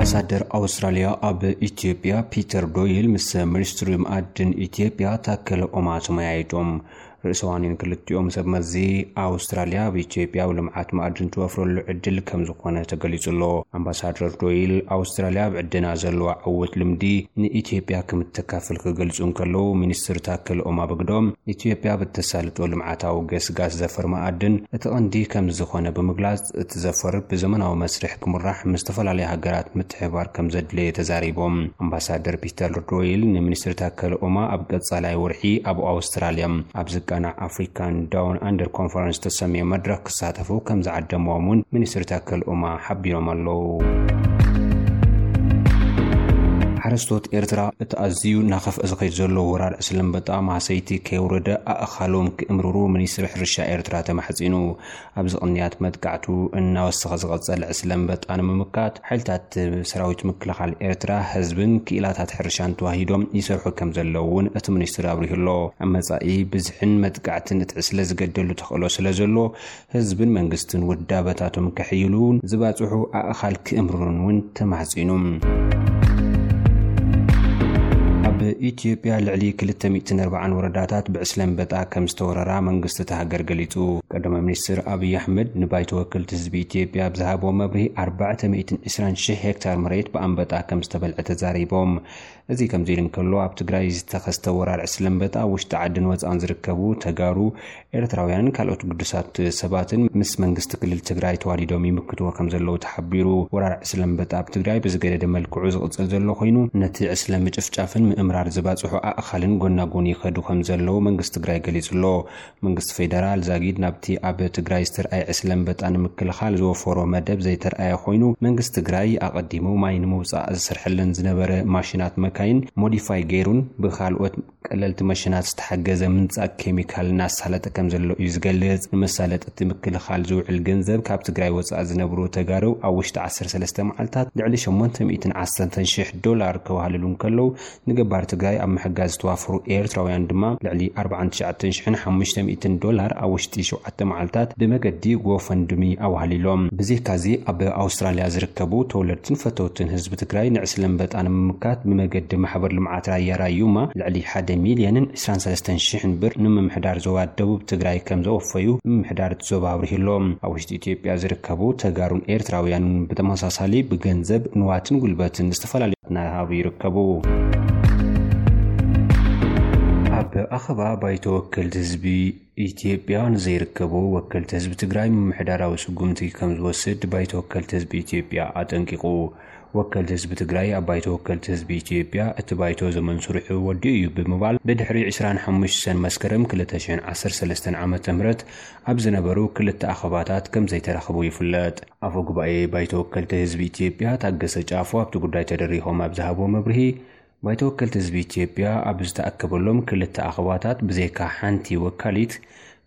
ኣምባሳደር ኣውስትራልያ ኣብ ኢትዮጵያ ፒተር ዶይል ምስ ሚኒስትሪ መኣድን ኢትዮጵያ ታከለ ኡማ ተመያይጦም። ርእሰ ዋኒን ክልቲኦም ሰብ መዚ ኣውስትራልያ ኣብ ኢትዮጵያ ኣብ ልምዓት መኣድን ትወፍረሉ ዕድል ከም ዝኾነ ተገሊጹ ኣሎ። ኣምባሳደር ዶይል ኣውስትራልያ ኣብ ዕድና ዘለዋ ዕውት ልምዲ ንኢትዮጵያ ከም እተካፍል ክገልጹ እንከለዉ፣ ሚኒስትር ታከለ ኡማ ብግደኦም ኢትዮጵያ ብተሳልጦ ልምዓታዊ ገስጋስ ዘፈር መኣድን እቲ ቀንዲ ከም ዝኾነ ብምግላጽ፣ እቲ ዘፈር ብዘመናዊ መስርሕ ክምራሕ ምስ ዝተፈላለዩ ሃገራት ምትሕብባር ከም ዘድለየ ተዛሪቦም። ኣምባሳደር ፒተር ዶይል ንሚኒስትር ታከለ ኡማ ኣብ ቀጻላይ ወርሒ ኣብ ኣውስትራልያ ኣብ ዝቃናዕ ኣፍሪካን ዳውን ኣንደር ኮንፈረንስ ዝተሰምየ መድረኽ ክሳተፉ ከም ዝዓደምዎም እውን ሚኒስትር ታከለ ኡማ ሓቢሮም ኣለዉ። ሓረስቶት ኤርትራ እቲ ኣዝዩ እናኸፍአ ዝኸይድ ዘሎ ወራር ዕስለ ኣንበጣ ማህሰይቲ ከየውረደ ኣእኻሎም ክእምርሩ ሚኒስትሪ ሕርሻ ኤርትራ ተማሕጺኑ። ኣብዚ ቅንያት መጥቃዕቱ እናወሰኸ ዝቐጸለ ዕስለ ኣንበጣ ንምምካት ሓይልታት ሰራዊት ምክልኻል ኤርትራ ህዝብን ክኢላታት ሕርሻን ተዋሂዶም ይሰርሑ ከም ዘለዉ እውን እቲ ሚኒስትሪ ኣብሪሁ ኣሎ። ኣብ መጻኢ ብዝሕን መጥቃዕትን እቲ ዕስለ ዝገደሉ ተኽእሎ ስለ ዘሎ ህዝብን መንግስትን ውዳበታቶም ከሕይሉ እውን ዝባጽሑ ኣእኻል ክእምርሩን እውን ተማሕጺኑ። ኣብ ኢትዮጵያ ልዕሊ ክልተ ሚእትን ኣርባዓን ወረዳታት ብዕስለ ኣንበጣ ከም ዝተወረራ መንግስቲ እታ ሃገር ገሊጹ። ቀዳማይ ሚኒስትር ኣብይ ኣሕመድ ንባይቶ ወከልቲ ህዝቢ ኢትዮጵያ ኣብ ዝሃቦ መብርሂ ኣርባዕተ ሚእትን ዕስራን ሽሕ ሄክታር መሬት ብኣንበጣ ከም ዝተበልዐ ተዛሪቦም። እዚ ከምዚ ኢሉ እንከሎ፣ ኣብ ትግራይ ዝተኸስተ ወራር ዕስለ ኣንበጣ ኣብ ውሽጢ ዓድን ወጻእን ዝርከቡ ተጋሩ፣ ኤርትራውያንን ካልኦት ግዱሳት ሰባትን ምስ መንግስቲ ክልል ትግራይ ተዋዲዶም ይምክትዎ ከም ዘለዉ ተሓቢሩ። ወራር ዕስለ ኣንበጣ ኣብ ትግራይ ብዝገደደ መልክዑ ዝቕጽል ዘሎ ኮይኑ፣ ነቲ ዕስለ ምጭፍጫፍን ምእምራር ዝባጽሑ ኣእኻልን ጎናጎኒ ይኸዱ ከም ዘለዉ መንግስቲ ትግራይ ገሊጹ ኣሎ። መንግስቲ ፌደራል ዛጊድ ናብቲ ኣብ ትግራይ ዝተርኣየ ዕስለ ኣንበጣ ንምክልኻል ዝወፈሮ መደብ ዘይተርኣየ ኮይኑ፣ መንግስቲ ትግራይ ኣቐዲሙ ማይ ንምውጻእ ዝሰርሐለን ዝነበረ ማሽናት መካይን ሞዲፋይ ገይሩን ብኻልኦት ቀለልቲ መሽናት ዝተሓገዘ ምንጻግ ኬሚካል እናሳለጠ ከም ዘሎ እዩ ዝገልጽ። ንመሳለጢ እቲ ምክልኻል ዝውዕል ገንዘብ ካብ ትግራይ ወጻኢ ዝነብሩ ተጋሩ ኣብ ውሽጢ ዓሰርተ ሰለስተ መዓልታት ልዕሊ ሸሞንተ ሚእትን ዓሰርተን ሽሕ ዶላር ከዋህልሉ እንከለዉ፣ ንገባር ትግራይ ኣብ ምሕጋዝ ዝተዋፈሩ ኤርትራውያን ድማ ልዕሊ ኣርባዓን ትሽዓተን ሽሕን ሓሙሽተ ሚእትን ዶላር ኣብ ውሽጢ ሸውዓተ መዓልታት ብመገዲ ጎፈንድሚ ኣዋህሊሎም። ብዘይካዚ ኣብ ኣውስትራልያ ዝርከቡ ተወለድትን ፈተውትን ህዝቢ ትግራይ ንዕስለ ኣንበጣ ንምምካት ብመገዲ ማሕበር ልምዓት ራያ ራዩማ ልዕሊ ሓደ ሚልዮንን ዕስራን ሰለስተን ሽሕን ብር ንምምሕዳር ዞባ ደቡብ ትግራይ ከም ዘወፈዩ ምምሕዳር እቲ ዞባ ኣብሪሁ ኣሎ። ኣብ ውሽጢ ኢትዮጵያ ዝርከቡ ተጋሩን ኤርትራውያንን ብተመሳሳሊ ብገንዘብ ንዋትን ጉልበትን ዝተፈላለዩ እናሃቡ ይርከቡ። ኣብ ኣኸባ ባይቶ ወከልቲ ህዝቢ ኢትዮጵያ ንዘይርከቡ ወከልቲ ህዝቢ ትግራይ ምምሕዳራዊ ስጉምቲ ከም ዝወስድ ባይቶ ወከልቲ ህዝቢ ኢትዮጵያ ኣጠንቂቑ። ወከልቲ ህዝቢ ትግራይ ኣብ ባይቶ ወከልቲ ህዝቢ ኢትዮጵያ እቲ ባይቶ ዘመን ስርሑ ወዲኡ እዩ ብምባል ብድሕሪ ዕስራን ሓሙሽተን መስከረም ክልተ ሽሕን ዓሰርተ ሰለስተን ዓመተ ምህረት ኣብ ዝነበሩ ክልተ ኣኸባታት ከም ዘይተረኸቡ ይፍለጥ። ኣፈ ጉባኤ ባይቶ ወከልቲ ህዝቢ ኢትዮጵያ ታገሰ ጫፎ ኣብቲ ጉዳይ ተደሪኾም ኣብ ዝሃቦ መብርሂ፣ ባይቶ ወከልቲ ህዝቢ ኢትዮጵያ ኣብ ዝተኣከበሎም ክልተ ኣኸባታት ብዘይካ ሓንቲ ወካሊት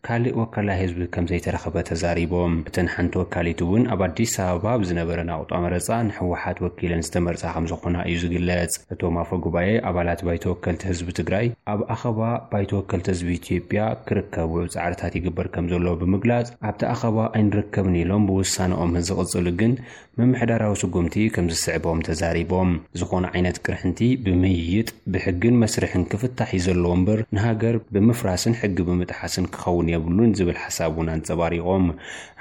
ካልእ ወካላይ ህዝቢ ከም ዘይተረኸበ ተዛሪቦም። እተን ሓንቲ ወካሊት እውን ኣብ ኣዲስ ኣበባ ኣብ ዝነበረ ናቑጣ መረፃ ንህወሓት ወኪለን ዝተመርፃ ከም ዝኾና እዩ ዝግለጽ። እቶም ኣፈ ጉባኤ ኣባላት ባይቶ ወከልቲ ህዝቢ ትግራይ ኣብ ኣኸባ ባይቶ ወከልቲ ህዝቢ ኢትዮጵያ ክርከቡ ጻዕርታት ይግበር ከም ዘሎ ብምግላጽ፣ ኣብቲ ኣኸባ ኣይንርከብን ኢሎም ብውሳነኦም ዝቕጽሉ ግን ምምሕዳራዊ ስጉምቲ ከም ዝስዕቦም ተዛሪቦም። ዝኾነ ዓይነት ቅርሕንቲ ብምይይጥ ብሕግን መስርሕን ክፍታሕ እዩ ዘለዎ እምበር ንሃገር ብምፍራስን ሕጊ ብምጥሓስን ክኸውን የብሉን ዝብል ሓሳብ እውን ኣንጸባሪቖም።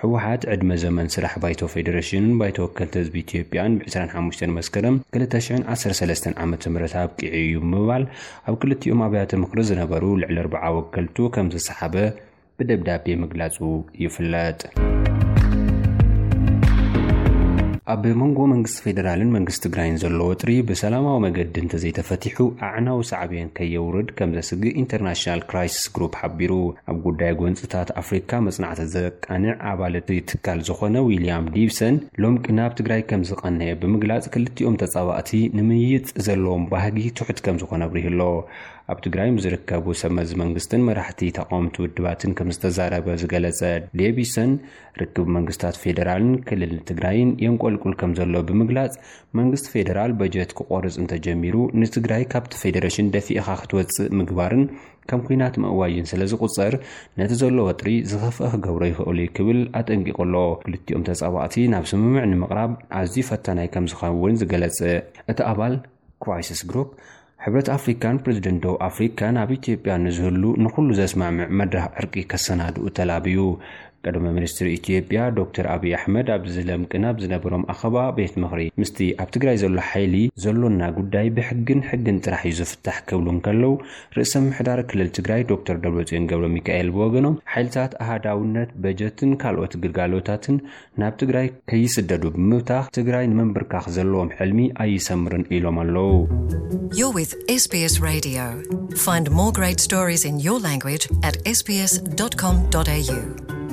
ህወሓት ዕድመ ዘመን ስራሕ ባይቶ ፌዴሬሽንን ባይቶ ወከልቲ ህዝቢ ኢትዮጵያን ብ ዕስራን ሓሙሽተን መስከረም ክልተ ሽሕን ዓሰርተ ሰለስተን ዓመተ ምህረት ኣብቂዑ እዩ ብምባል ኣብ ክልቲኦም ኣብያተ ምኽሪ ዝነበሩ ልዕሊ ኣርብዓ ወከልቱ ከም ዝሰሓበ ብደብዳቤ ምግላጹ ይፍለጥ። ኣብ መንጎ መንግስቲ ፌዴራልን መንግስቲ ትግራይን ዘሎ ወጥሪ ብሰላማዊ መገዲ እንተዘይተፈቲሑ ኣዕናዊ ሳዕቤን ከየውርድ ከም ዘስግእ ኢንተርናሽናል ክራይሲስ ግሩፕ ሓቢሩ። ኣብ ጉዳይ ጎንፅታት ኣፍሪካ መፅናዕቲ ዘቃንዕ ኣባል እቲ ትካል ዝኾነ ዊልያም ዲብሰን ሎም ናብ ትግራይ ከም ዝቐነየ ብምግላፅ ክልቲኦም ተፃባእቲ ንምይይጥ ዘለዎም ባህጊ ትሑት ከም ዝኾነ ኣብሪሁ ኣሎ። ኣብ ትግራይ ምስ ዝርከቡ ሰብ መዚ መንግስትን መራሕቲ ተቃወምቲ ውድባትን ከም ዝተዛረበ ዝገለጸ ዴቪሰን፣ ርክብ መንግስታት ፌደራልን ክልል ትግራይን የንቆልቁል ከም ዘሎ ብምግላጽ፣ መንግስቲ ፌደራል በጀት ክቆርጽ እንተጀሚሩ ንትግራይ ካብቲ ፌደሬሽን ደፊእኻ ክትወጽእ ምግባርን ከም ኲናት ምእዋጅን ስለ ዝቑጸር፣ ነቲ ዘሎ ወጥሪ ዝኸፍአ ክገብሮ ይኽእሉ እዩ ክብል ኣጠንቂቑ ኣሎ። ክልቲኦም ተጻባእቲ ናብ ስምምዕ ንምቕራብ ኣዝዩ ፈታናይ ከም ዝኸውን ዝገለጸ እቲ ኣባል ክራይሲስ ግሩፕ፣ ሕብረት ኣፍሪካን ፕሬዚደንት ደቡብ ኣፍሪካን ኣብ ኢትዮጵያ ንዝህሉ ንኹሉ ዘስማምዕ መድረኽ ዕርቂ ከሰናድኡ ተላብዩ። ቀዳማይ ሚኒስትር ኢትዮጵያ ዶክተር ኣብይ ኣሕመድ ኣብዚ ለምቅን ኣብ ዝነበሮም ኣኸባ ቤት ምኽሪ ምስቲ ኣብ ትግራይ ዘሎ ሓይሊ ዘሎና ጉዳይ ብሕግን ሕግን ጥራሕ እዩ ዝፍታሕ ክብሉ እንከለዉ፣ ርእሰ ምሕዳር ክልል ትግራይ ዶክተር ደብረጽዮን ገብረ ሚካኤል ብወገኖም ሓይልታት ኣሃዳውነት በጀትን ካልኦት ግልጋሎታትን ናብ ትግራይ ከይስደዱ ብምብታኽ ትግራይ ንምንብርካኽ ዘለዎም ሕልሚ ኣይሰምርን ኢሎም ኣለዉ። You're with S B S Radio. Find more great stories in your language at S B S dot com dot A U.